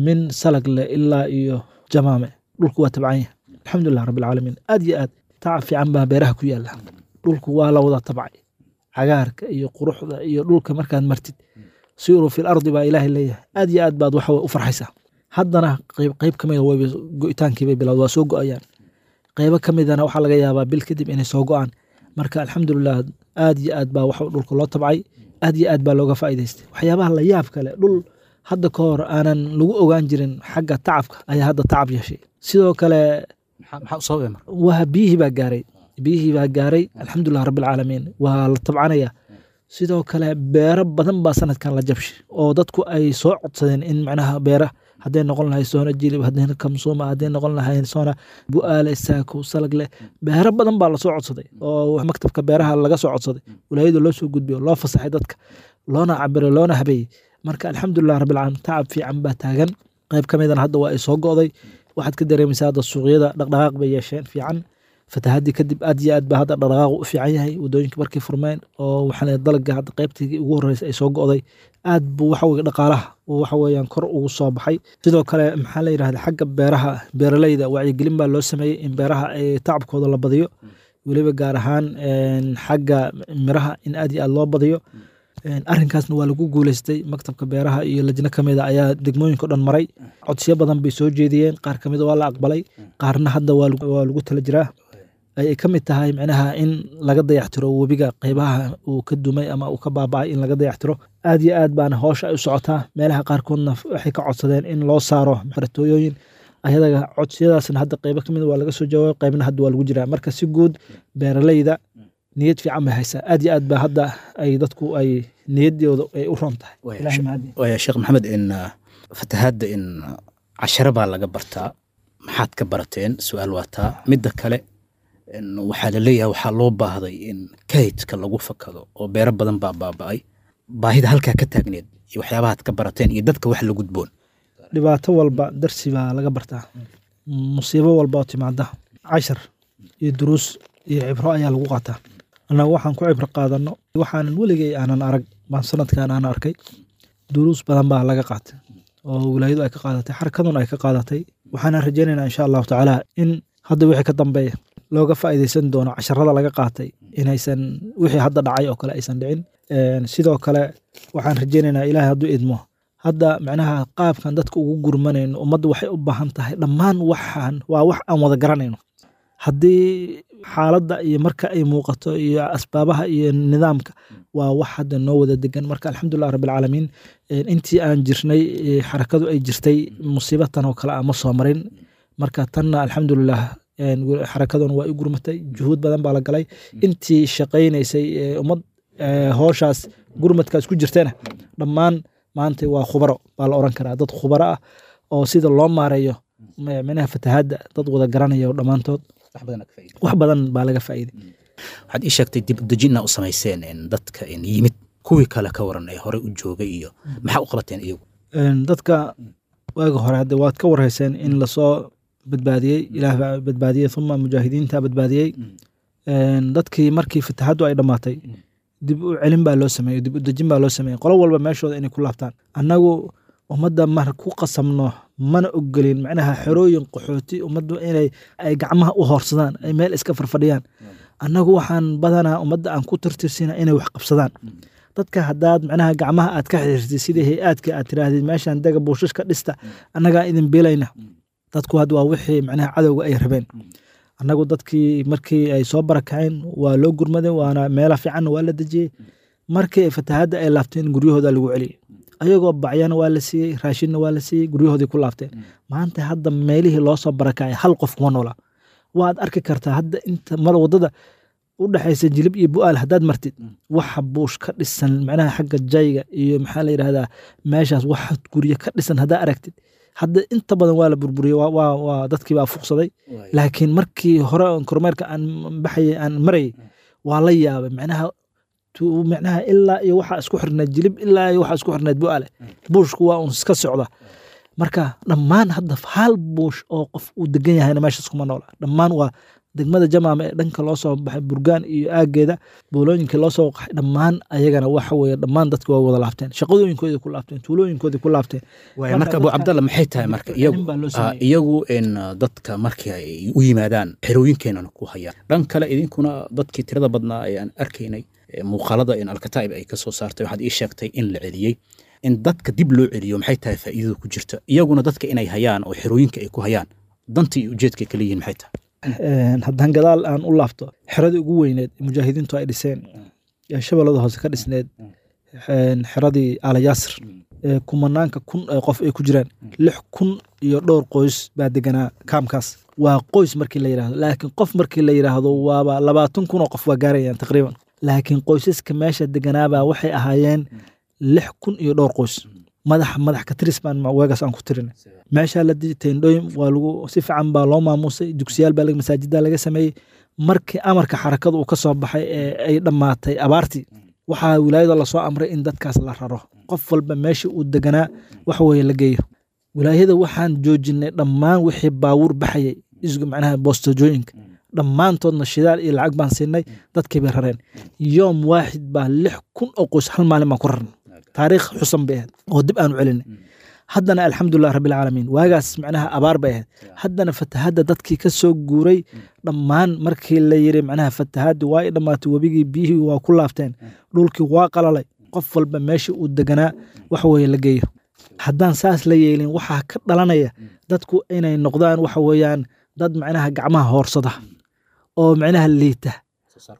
min salag leh ilaa iyo jamaame, dhulku waa tabcan yahay. Alxamdulilah rabbilcaalamiin, aad iyo aad tacab fiican baa beeraha ku yaala, dhulku waa la wada tabcay. Cagaarka iyo quruxda iyo dhulka markaad martid, siiruu fil ardi baa ilaahay leeyahay, aad iyo aad baad waxa u farxaysaa. Haddana qeyb qeyb ka mida wayba go'itaankii bay bilowd, waa soo go'ayaan. Qeybo ka midana waxaa laga yaabaa bil kadib inay soo go'aan. Marka alxamdulilah, aad iyo aad baa waxa dhulka loo tabcay, aad iyo aad baa looga faa'iidaystay. Waxyaabaha la yaab kale, dhul hadda ka hor aanan lagu ogaan jirin xagga tacabka ayaa hadda tacab yeeshay. Sidoo kale maxaa u sababay marka? Waa biyihii baa gaaray, biyihii baa gaaray. Alxamdulilah rabbilcaalamiin, waa la tabcanaya. Sidoo kale beero badan baa sanadkan la jabshay oo dadku ay soo codsadeen in macnaha beera hadday noqon lahayd soona Jilib, hadday Kamsuuma, hadday noqon lahayd soona Bu'aale, Saako, Salagle, beero badan baa lasoo codsaday oo maktabka beeraha laga soo codsaday, wilaayada loo soo gudbiyo, loo fasaxay dadka, loona cabiray, loona habeeyey. Marka alxamdulilah rabbilcaalamiin, tacab fiican baa taagan. Qayb ka midana hadda waa ay soo go'day. Waxaad ka dareemaysaa hadda suuqyada dhaqdhaqaaq bay yeesheen fiican fatahaadii kadib. Aad iyo aad baa hadda dhaqdhaqaaqu u fiican yahay, wadooyinka markay furmeen oo waxaa la dalagga hadda qaybtii ugu horreysay ay soo go'day, aad buu waxa weye dhaqaalaha uu waxa weeyaan kor ugu soo baxay. Sidoo kale maxaa la yidhahda xagga beeraha, beeralayda wacyigelin baa loo sameeyey in beeraha ay tacabkooda la badiyo, weliba gaar ahaan xagga miraha in aad iyo aad loo badiyo. Arrinkaasna waa lagu guuleystay. Maktabka beeraha iyo lajno ka mida ayaa degmooyinka o dhan maray, codsiyo badan bay soo jeediyeen, qaar ka mida waa la aqbalay, qaarna hadda waa lagu tala jiraa. Ay ka mid tahay micnaha in laga dayactiro webiga qeybaha uu ka dumay ama uu ka baaba'ay, in laga dayactiro. Aad iyo aad baana howsha ay u socotaa. Meelaha qaarkoodna waxay ka codsadeen in loo saaro xeratooyooyin ayadaga, codsiyadaasna hadda qeybo ka mid waa laga soo jawaabay, qeybna hadda waa lagu jiraa. Marka si guud beeralayda niyad fiican bay haysaa, aad iyo aad ba hadda ay dadku ay niyaddooda ay u roon tahay. Ilaahay mahadi. Waaya Sheekh Maxamed, in fatahaadda in casharo baa laga bartaa, maxaad ka barateen? Su-aal waa taa. Midda kale in waxaa la leeyahay waxaa loo baahday in kaydka lagu fakado oo beero badan baa baaba'ay, baahida halkaa ka taagneed iyo waxyaabahaad ka barateen iyo dadka wax la gudboon. Dhibaato walba darsi baa laga bartaa, musiibo walba oo timaada cashar iyo duruus iyo cibro ayaa lagu qaataa. Annagu waxaan ku cibro qaadano, waxaanan weligay aanan arag baan sanadkan aan arkay. Duruus badan baa laga qaatay oo wilaayadu ay ka qaadatay, xarakaduna ay ka qaadatay. Waxaana rajaynaynaa insha allahu tacaala in hadda wixii ka dambeeya Looga faa'iidaysan doono casharada laga qaatay inaysan wixii hadda dhacay oo kale aysan dhicin. Sidoo kale waxaan rajaynaynaa Ilaahay hadduu idmo hadda macnaha qaabkan dadka ugu gurmanayno, ummaddu waxay u baahan tahay dhammaan waxaan waa wax aan wada garanayno. Haddii xaaladda iyo marka ay muuqato iyo asbaabaha iyo nidaamka waa wax hadda noo wada degan. Marka alxamdulilah rabbilcaalamiin, intii aan jirnay xarakadu ay jirtay musiibatan oo kale ah ma soo marin. Marka tanna alxamdulilah xarakaduna waa i gurmatay, juhuud badan baa la galay, intii shaqaynaysay ummad hooshaas gurmadkaas ku jirtana dhammaan maanta waa khubaro baa la oran karaa, dad khubaro ah oo sida loo maareeyo micnaha fatahaadda dad wada garanaya dhammaantood, wax badan baa laga faa'iiday. Waxaad ii sheegtay dib u dejin u samayseen dadka yimid, kuwii kale ka waran ee horey u joogay iyo maxaa u qabateen iyagu? Dadka waaga hore hadda waad ka warhayseen in lasoo badbaadiyey, Ilaah baa badbaadiyey, uma mujaahidiinta badbaadiyey. Dadkii markii fatahaaddu ay dhammaatay dib u celin baa loo sameeyey, dib u dejin baa loo sameeyey, qolo walba meeshooda inay ku laabtaan. Annagu ummadda mar ku qasamno mana ogolin macnaha xerooyin qaxooti ummaddu inay ay gacmaha u hoorsadaan, ay meel iska farfadhiyaan. Annagu waxaan badanaa ummadda aan ku tirtirsina inay wax qabsadaan. Dadka haddaad macnaha gacmaha aad ka xiriirtid sidii hay-aadka aad tiraahdid meeshaan dega buushashka dhista annagaa idin biilayna, dadku hadda waa wixii macnaha cadowga ay rabeen. Annagu dadkii markii ay soo barakaceen waa loo gurmaday, waana meela fiicanna waa la dejiyey. Markii fatahaadda ay laabteen guryahooda lagu celiyey, ayagoo bacyana waa la siiyey, raashinna waa la siiyey, guryahoodii ku laabteen. Maanta hadda meelihii loo soo barakacay hal qof kuma noola. Waad arki kartaa hadda inta mar waddada u dhexaysa Jilib iyo Bu'aal haddaad martid waxa buush ka dhisan macnaha xagga jayga iyo maxaa la yidhahdaa meeshaas waxa guryo ka dhisan haddaa aragtid, hadda inta badan waa la burburiyey, waa waa waa dadkii baa fuqsaday. Laakiin markii hore oon kormeerka aan baxayay aan marayay waa la yaabay macnaha macnaha ilaa iyo waxaa isku xirnayd Jilib ilaa iyo waxaa isku xirnayd Bu'aale, buushku waa uun iska socda. Marka dhammaan hadda hal buush oo qof uu degan yahayna meeshaas kuma noola. Dhammaan waa degmada Jamaama ee dhanka loo soo baxay Burgaan iyo aageeda boolooyinka loo soo qaxay dhammaan ayagana waxa weeye dhammaan dadki waa wada laabteen, shaqadooyinkoodii ku laabteen, tuulooyinkoodii ku laabteen. Waaya marka Abu Cabdalla, maxay tahay marka iyagu iyagu in dadka markii ay u yimaadaan xerooyinkeenana ku hayaan, dhan kale idinkuna dadkii tirada badnaa ee aan arkaynay muuqaalada in Alkataa'ib ay ka soo saartay waxaad ii sheegtay in la celiyey, in dadka dib loo celiyo maxay tahay faa'iidada ku jirta? Iyaguna dadka inay hayaan oo xerooyinka ay ku hayaan danta iyo ujeedka ay kala yihiin maxay tahay? Haddaan gadaal aan u laabto xeradii ugu weyneed mujaahidiintu ay dhiseen ee Shabeellada Hoose ka dhisneed, xeradii Aala Yaasir ee kumanaanka kun ee qof ay ku jiraan, lix kun iyo dhowr qoys baa deganaa kaamkaas. Waa qoys markii la yidhaahdo, laakiin qof markii la yidhaahdo waaba labaatan kun oo qof waa gaarayaan taqriiban. Laakiin qoysaska meesha deganaabaa waxay ahaayeen lix kun iyo dhowr qoys. Madax madax ka tiris baan waagaas aan ku tirinay. Meeshaa la dejiyey teendhooyin waa lagu si fiican baa loo maamuusay, dugsiyaal baa masaajidda laga sameeyey. Markii amarka xarakadu uu ka soo baxay ee ay dhammaatay abaartii, waxaa wilaayada lasoo amray in dadkaas la raro, qof walba meeshii uu deganaa wax weeye la geeyo. Wilaayada waxaan joojinay dhammaan wixii baawur baxayay isgu macnaha boostojooyinka dhammaantoodna shidaal iyo lacag baan siinay, dadkii bay rareen. Yoom waaxid baa lix kun oo qoys hal maalin baan ku rarnay, taariikh xusan bay ahayd oo dib aanu celinay. Haddana alxamdulilah rabbilcaalamiin, waagaas macnaha abaar bay ahayd, haddana fatahadda dadkii ka soo guuray dhammaan markii la yiri macnaha fatahaddi waa i dhammaatay, webigii biyihii waa ku laabteen, dhulkii waa qalalay, qof walba meeshii uu deganaa wax weeye la geeyo. Haddaan saas la yeelin waxaa ka dhalanaya dadku inay noqdaan waxa weeyaan dad macnaha gacmaha hoorsada oo macnaha liita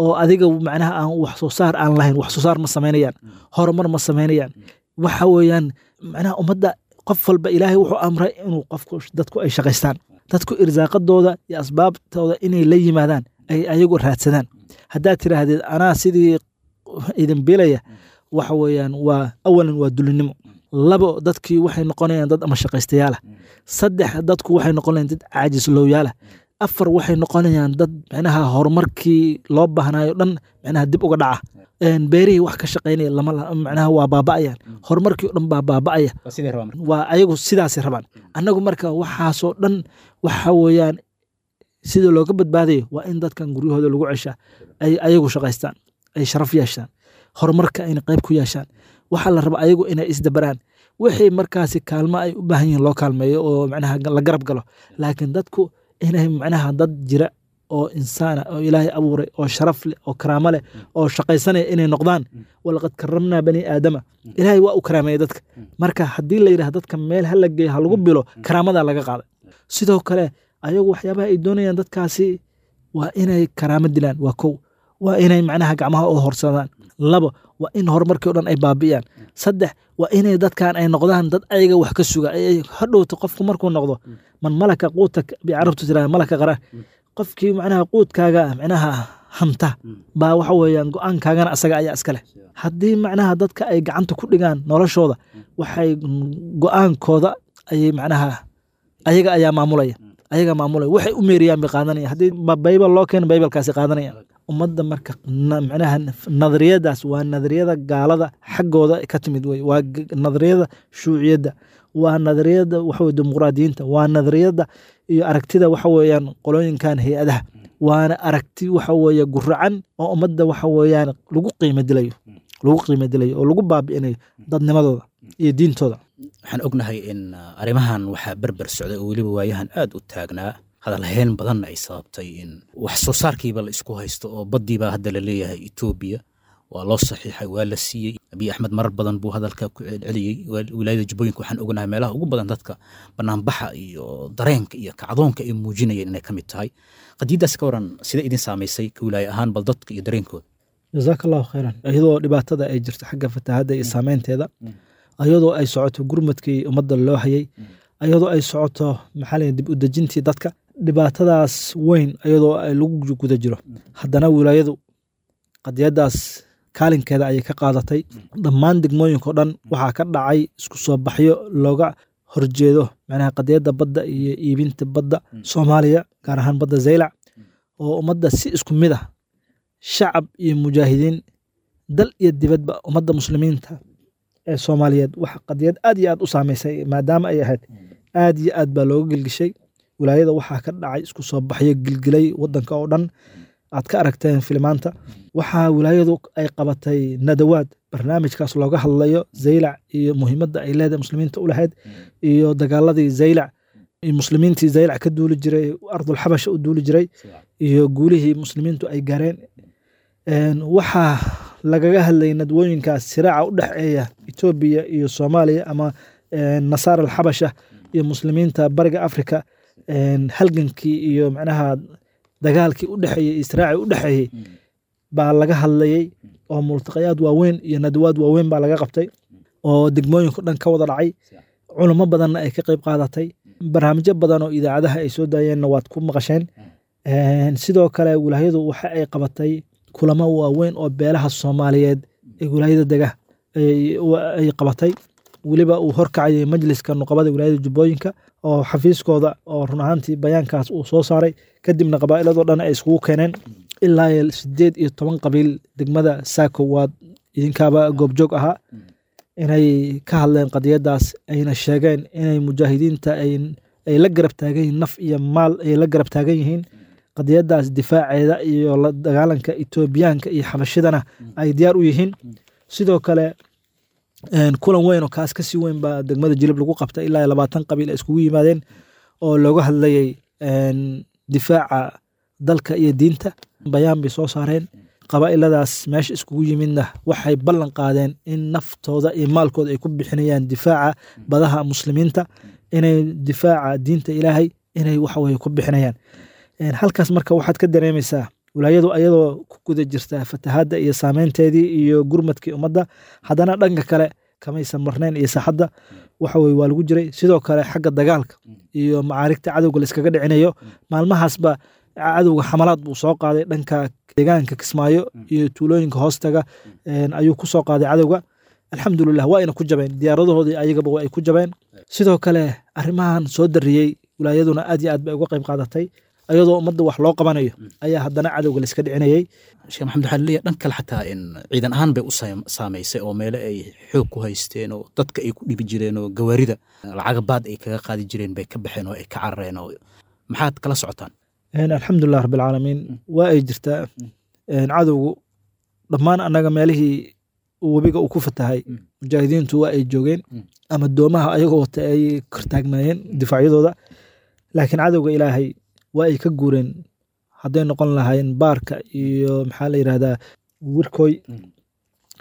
oo adiga macnaha aan wax soo saar aan lahayn, wax soo saar ma samaynayaan, horumar ma samaynayaan. Waxa weeyaan macnaha ummadda qof walba Ilaahay wuxuu amray inuu qofku dadku ay shaqaystaan, dadku irsaaqadooda iyo asbaabtooda inay la yimaadaan, ay ayagu raadsadaan. Haddaad tiraahdid anaa sidii idin bilaya, waxa weeyaan waa awalan waa dulinimo, labo dadkii waxay noqonayaan dad ama shaqaystayaala, saddex dadku waxay noqonayaan dad caajislowyaala, afar waxay noqonayaan dad macnaha horumarkii loo baahnayo dhan macnaha dib uga dhaca, beerihii wax ka shaqaynaya lama macnaha waa baaba'ayaan, horumarkii o dhan baa baaba'aya, waa ayagu sidaasay rabaan. Annagu marka waxaasoo dhan waxa weeyaan sida looga badbaadayo waa in dadkan guryahooda lagu ceshaa, ay ayagu shaqaystaan, ay sharaf yeeshaan, horumarka ayna qayb ku yeeshaan. Waxaa la rabaa ayagu inay isdabaraan, wixii markaasi kaalmo ay u baahan yihiin loo kaalmeeyo oo macnaha la garab galo. Laakiin dadku inay macnaha dad jira oo insaana oo Ilaahay abuuray oo sharaf leh oo karaamo leh oo shaqaysanaya inay noqdaan. Walaqad karamnaa bani aadama, Ilaahay waa u karaameeyey dadka. Marka haddii la yidhaahdo dadka meel ha la geeyo ha lagu bilo, karaamadaa laga qaaday. Sidoo kale ayagu waxyaabaha ay doonayaan dadkaasi waa inay karaamo dilaan, waa kow, waa inay macnaha gacmaha u horsadaan. Labo, waa in horumarkii o dhan ay baabi'iyaan. Saddex, waa inay dadkan ay noqdaan dad ayaga wax ka suga. Ay hadhowto qofku markuu noqdo man malaka quuta bi carabtu tirahda malaka qaraar, qofkii macnaha quudkaaga macnaha hanta baa waxa weeyaan go-aankaagana asaga ayaa iska leh. Haddii macnaha dadka ay gacanta ku dhigaan noloshooda, waxay go-aankooda ayay macnaha ayaga ayaa maamulaya, ayaga maamulaya, waxay u meeriyaan bay qaadanaya. Haddii baybal loo keeno baybalkaasi qaadanaya ummadda. Marka macnaha nadariyadaas waa nadariyada gaalada xaggooda ka timid wey, waa nadariyada shuuciyadda, waa nadariyada waxa weye dimuqraadiyiinta, waa nadariyada iyo aragtida waxa weeyaan qolooyinkan hay-adaha, waana aragti waxa weeye guracan oo ummadda waxa weeyaan lagu qiimo dilayo, lagu qiimo dilayo oo lagu baabi'inayo dadnimadooda iyo diintooda. Waxaan ognahay in arrimahan waxaa berber socday oo weliba waayahan aad u taagnaa, hadalhayn badanna ay sababtay in wax soo saarkiiba la isku haysto oo baddiibaa hadda la leeyahay Etoobiya waa loo saxiixay, waa la siiyey. Abiy Axmed marar badan buu hadalka ku celceliyey. Wilaayada Jubbooyinka waxaan ognahay meelaha ugu badan dadka banaanbaxa iyo dareenka iyo kacdoonka ay muujinayeen inay ka mid tahay. Qadiiddaas ka waran, sida idin saamaysay ka wilaaya ahaan bal dadka iyo dareenkooda? Jazaaka Allahu khayran. Iyadoo dhibaatada ay jirto xagga fatahaadda iyo saameynteeda, iyadoo ay socoto gurmadkii ummadda loo hayay, iyadoo ay socoto maxaa la dib u dejintii dadka, dhibaatadaas weyn iyadoo ay lagu guda jiro, haddana wilaayadu qadiyadaas kaalinkeeda ayay ka qaadatay. Dhammaan degmooyinka o dhan waxaa ka dhacay isku soo baxyo looga horjeedo macnaha qadiyadda badda iyo iibinta badda Soomaaliya, gaar ahaan badda Zaylac, oo ummadda si isku mid ah, shacab iyo mujaahidiin, dal iyo dibadba, ummadda muslimiinta ee Soomaaliyeed waxa qadiyad aad iyo aad u saameysay maadaama ay ahayd, aad iyo aad baa looga gilgishay. Wilaayada waxaa ka dhacay isku soo baxyo gilgilay wadanka oo dhan, aad ka aragteen filimaanta. Waxaa wilaayadu ay qabatay nadawaad barnaamijkaas looga hadlayo Zaylac iyo muhiimadda ay leedahay muslimiinta u lahayd, iyo dagaaladii Zaylac iyo muslimiintii Zaylac ka duuli jiray, ardul xabasha u duuli jiray, iyo guulihii muslimiintu ay gaareen. Waxaa lagaga hadlayay nadwooyinkaas siraaca u dhexeeya Etoobiya iyo Soomaaliya ama nasaara alxabasha iyo muslimiinta bariga Afrika, halgankii iyo macnaha dagaalkii u dhexeeyey, israacii u dhexeeyey baa laga hadlayey, oo multaqayaad waaweyn iyo nadwaad waaweyn baa laga qabtay oo degmooyinka dhan ka wada dhacay, culamo badanna ay ka qayb qaadatay. Barnaamijyo badan oo idaacadaha ay soo daayeenna waad ku maqasheen. Sidoo kale wilaayadu waxa ay qabatay kulamo waaweyn oo beelaha Soomaaliyeed ee wilaayada dega ay qabatay, weliba uu horkacayay majliska nuqabada wilaayada Jubbooyinka oo xafiiskooda, oo run ahaantii bayaankaas uu soo saaray, kadibna qabaa'iladoo dhan ay iskugu keeneen ilaa sideed iyo toban qabiil degmada Saako, waad idinkaaba goobjoog ahaa, inay ka hadleen qadiyadaas, ayna sheegeen inay mujaahidiinta ay la garab taagan yihiin, naf iyo maal ay la garab taagan yihiin qadiyadaas difaaceeda iyo la dagaalanka Etoobiyaanka iyo xabashidana ay diyaar u yihiin. Sidoo kale kulan weyn oo kaas kasii weyn baa degmada Jilib lagu qabtay, ilaa labaatan qabiil ay iskugu yimaadeen oo looga hadlayay difaaca dalka iyo diinta. Bayaan bay soo saareen. Qabaa'iladaas meesha iskugu yimidna waxay ballan qaadeen in naftooda iyo maalkooda ay ku bixinayaan difaaca badaha muslimiinta, inay difaaca diinta Ilaahay inay waxaweye ku bixinayaan. Halkaas marka waxaad ka dareemaysaa wilaayadu ayadoo ku guda jirta fatahaadda iyo saameynteedii iyo gurmadkii ummadda, haddana dhanka kale kamaysan marnayn iyo saaxadda waxa weye waa lagu jiray. Sidoo kale xagga dagaalka iyo macaarigta cadowga la iskaga dhicinayo, maalmahaasba cadowga xamalaad buu soo qaaday dhanka deegaanka Kismaayo iyo tuulooyinka hoostaga ayuu ku soo qaaday cadowga. Alxamdulilah waa ayna ku jabeen diyaaradahoodii, ayagaba waa ay ku jabeen. Sidoo kale arrimahan soo dariyey wilaayaduna aad iyo aad bay uga qayb qaadatay, ayadoo ummadda wax loo qabanayo ayaa haddana cadowga la iska dhicinayay. Sheekh Maxamed, waxaa laleeyahay dhan kale xataa in ciidan ahaan bay u saamaysay oo meelo ay xoog ku haysteen oo dadka ay ku dhibi jireen oo gawaarida lacaga baad ay kaga qaadi jireen bay ka baxeen oo ay ka carareen, oo maxaad kala socotaan? Alxamdulilah rabbilcaalamiin, waa ay jirtaa cadowgu dhammaan annaga meelihii webiga uu ku fatahay mujaahidiintu waa ay joogeen ama doomaha ayagoo wata ay kortaagnaayeen difaacyadooda, laakiin cadowga Ilaahay waa ay ka guureen. Hadday noqon lahaayeen Baarka iyo maxaa la yidhahdaa Wirkoy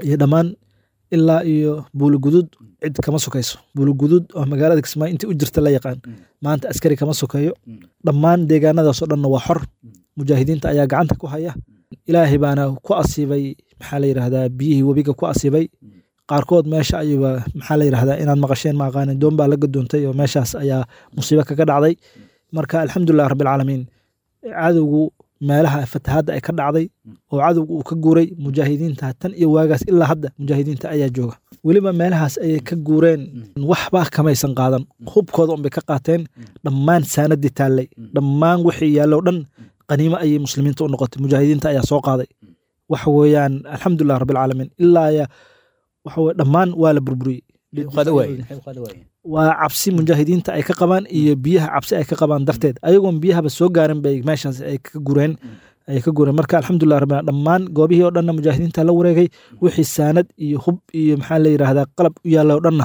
iyo dhammaan ilaa iyo Buulugudud, cid kama sokayso. Buulugudud oo magaalada Kismaayo intii u jirta la yaqaan, maanta askari kama sokeeyo. Dhammaan deegaanadaasoo dhanna waa xor, mujaahidiinta ayaa gacanta ku haya. Ilaahay baana ku asiibay maxaa la yidhahdaa biyihii webiga ku asiibay qaarkood meesha ayuba maxaa la yidhahdaa inaad maqasheen ma aqaanin, doon baa la gadoontay oo meeshaas ayaa musiibo kaga dhacday. Marka alxamdulilah rabbilcaalamiin, cadowgu meelaha fatahaadda ay ka dhacday oo cadowgu uu ka guuray mujaahidiinta tan iyo waagaas ilaa hadda mujaahidiinta ayaa jooga. Weliba meelahaas ayay ka guureen, waxba kamaysan qaadan, hubkooda unbay ka qaateen. Dhammaan saanadii taallay, dhammaan wixii yaallo dhan qaniimo ayay muslimiinta u noqotay, mujaahidiinta ayaa soo qaaday. Waxa weeyaan alxamdulilah rabbilcaalamiin, ilaa ya waxa weye dhammaan waa la burburiyey. Waa cabsi mujaahidiinta ay ka qabaan iyo biyaha cabsi ay ka qabaan darteed, ayagoon biyahaba soo gaarin bay meeshaas ay ka gureen ay ka gureen. Marka alxamdulilah rabbil, dhammaan goobihii oo dhanna mujaahidiinta la wareegay, wixii saanad iyo hub iyo maxaa la yidhaahdaa qalab u yaalla oo dhanna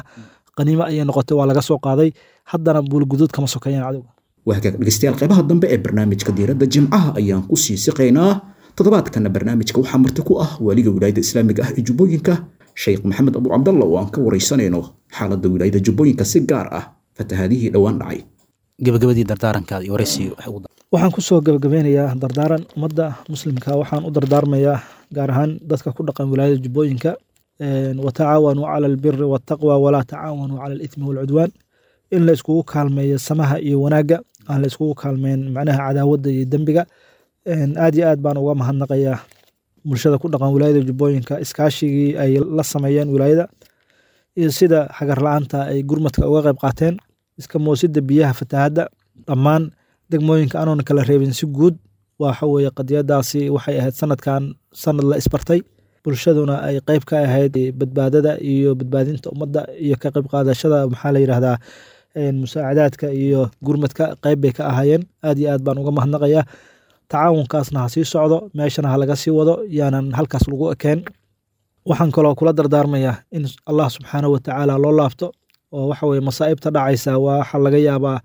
qaniimo ayay noqotay, waa laga soo qaaday. Haddana Buulguduud kama sokeeyaan cadowga. Waa hagaag dhegeystayaal, qaybaha dambe ee barnaamijka Diiradda Jimcaha ayaan ku sii siqaynaa. Toddobaadkana barnaamijka waxaa marti ku ah waaliga Wilaayadda Islaamiga ah ee Jubbooyinka, Sheekh Maxamed Abu Cabdalla, oo aan ka waraysanayno xaaladda wilaayadda Jubbooyinka, si gaar ah fatahaadihii dhowaan dhacay. Gabagabadii dardaarankaada iyo waraysiga waxay ugu Waxaan kusoo gabagabeynayaa dardaaran ummadda muslimka. Waxaan u dardaarmayaa gaar ahaan dadka ku dhaqan wilaayada Jubbooyinka: watacaawanuu cala albiri waltaqwa, walaa tacaawanuu cala alithmi walcudwaan. In la iskugu kaalmeeyo samaha iyo wanaagga, aan la iskugu kaalmeyn macnaha cadaawadda iyo dembiga. Aad iyo aad baan uga mahadnaqayaa bulshada ku dhaqan wilaayada Jubbooyinka iskaashigii ay la sameeyeen wilaayada iyo sida xagar la-aanta ay gurmadka uga qayb qaateen iska moosidda biyaha fatahaadda dhammaan degmooyinka anoon kala reebin si guud. Waxa weeye qadiyadaasi waxay ahayd sanadkan sanad la isbartay, bulshaduna ay qayb ka ahayd badbaadada iyo badbaadinta ummadda iyo ka qayb qaadashada maxaa la yidhahdaa musaacadaadka iyo gurmadka qayb bay ka ahaayeen. Aad iyo aad baan uga mahadnaqayaa. Tacaawunkaasna ha sii socdo, meeshana ha laga sii wado, yaanan halkaas lagu ekeen. Waxaan kaloo kula dardaarmayaa in Allah subxaanahu watacaala loo laabto, oo waxa weye masaa'ibta dhacaysa waxa laga yaabaa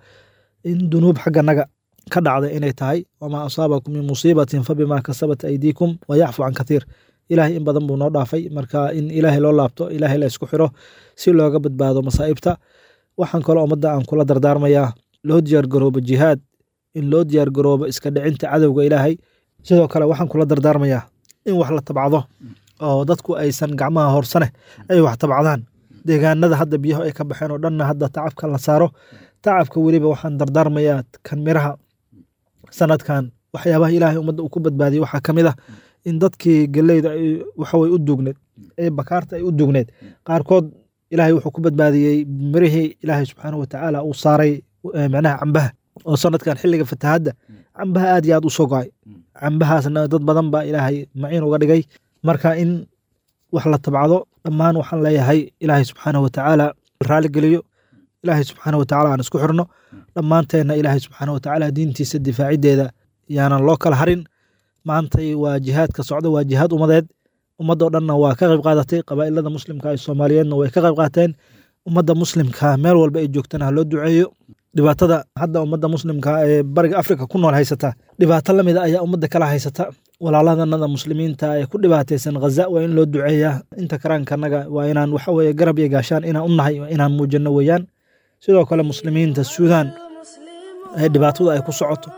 in dunuub xagganaga ka dhacda inay tahay. Wamaa asaabakum min musiibatin fabimaa kasabat aydiikum wayacfu can kathiir. Ilaahay in badan buu noo dhaafay. Marka in Ilaahay loo laabto, Ilaahay la isku xiro si looga badbaado masaa'ibta. Waxaan kaloo ummadda aan kula dardaarmayaa loo diyaargaroobo jihaad, in loo diyaargaroobo iska dhicinta cadowga Ilaahay. Sidoo kale waxaan kula dardaarmayaa in wax la tabcado oo dadku aysan gacmaha horsane ay wax tabcadaan. Deegaanada hadda biyahu ay ka baxeen oo dhanna hadda tacabka la saaro tacabka. Weliba waxaan dardaarmayaa kan miraha. Sanadkan waxyaabaha Ilaahay ummadda uu ku badbaadiyey waxaa ka mid ah in dadkii geleyda ay waxawey u duugneed ee bakaarta ay u duugneed qaarkood Ilaahay wuxuu ku badbaadiyey mirihii Ilaahay subxaanahu watacaala uu saaray, macnaha cambaha, oo sanadkan xilliga fatahaadda cambaha aad iyo aad u soo go'ay. Cambahaasna dad badan baa Ilaahay maciin uga dhigay. Marka in wax la tabcado dhammaan waxaan leeyahay Ilaahay subxaanahu watacaala raali geliyo, Ilaahay subxaanahu watacaala aan isku xirno dhammaanteenna, Ilaahay subxaanahu watacaala diintiisa difaaciddeeda yaanan loo kala harin. Maantay waa jihaadka socda, waa jihaad umadeed. Ummadoo dhanna waa ka qayb qaadatay, qabaa'ilada muslimka ee Soomaaliyeedna way ka qayb qaateen. Ummadda muslimka meel walba ay joogtana ha loo duceeyo. Dhibaatada hadda ummadda muslimka ee Bariga Afrika ku nool haysata, dhibaato la mida ayaa ummadda kala haysata. Walaaladanada muslimiinta ee ku dhibaataysan Ghaza waa in loo duceeyaa. Inta karaankanaga waa inaan waxa weeye garab iyo gaashaan inaan u nahay, waa inaan muujino weeyaan. Sidoo kale muslimiinta Suudaan ee dhibaatada ay ku socoto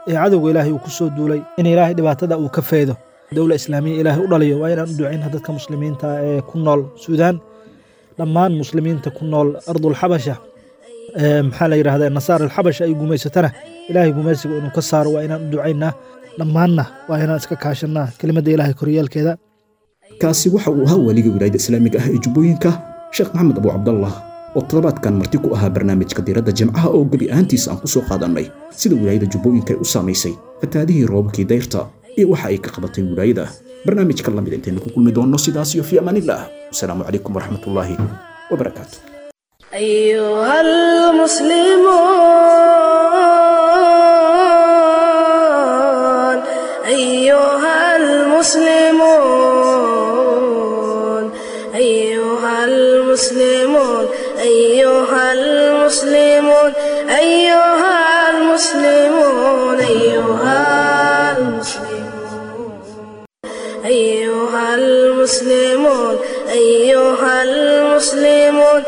ee cadowga Ilaahay uu ku soo duulay, in Ilaahay dhibaatada uu ka feedo, dowla islaamiya Ilaahay u dhaliyo, waa inaan u ducayna dadka muslimiinta ee ku nool Suudaan. Dhammaan muslimiinta ku nool ardul xabasha, maxaa la yidhahdaa nasaar alxabasha ay gumaysatana, Ilaahay gumaysiga inuu ka saaro waa inaan u ducaynaa. Dhammaanna waa inaan iska kaashanaa kelimadda Ilaahay koryeelkeeda. Kaasi waxa uu ahaa waaliga Wilaayadda Islaamiga ah ee Jubbooyinka, Sheekh Maxamed Abu Cabdallah, oo toddobaadkan marti ku ahaa barnaamijka Diiradda Jimcaha, oo gebi ahaantiisa aan ku soo qaadannay sida wilaayadda Jubbooyinka ay u saamaysay fatahaadihii roobabkii dayrta iyo waxa ay ka qabatay wilaayada. Barnaamijka lamid intaynu ku kulmi doonno, sidaas iyo fi amaanillah, wasalaamu calaykum waraxmatullaahi wabarakaatu. أيها المسلمون أيها المسلمون أيها المسلمون أيها المسلمون أيها المسلمون أيها المسلمون. المسلمون، أيها المسلمون.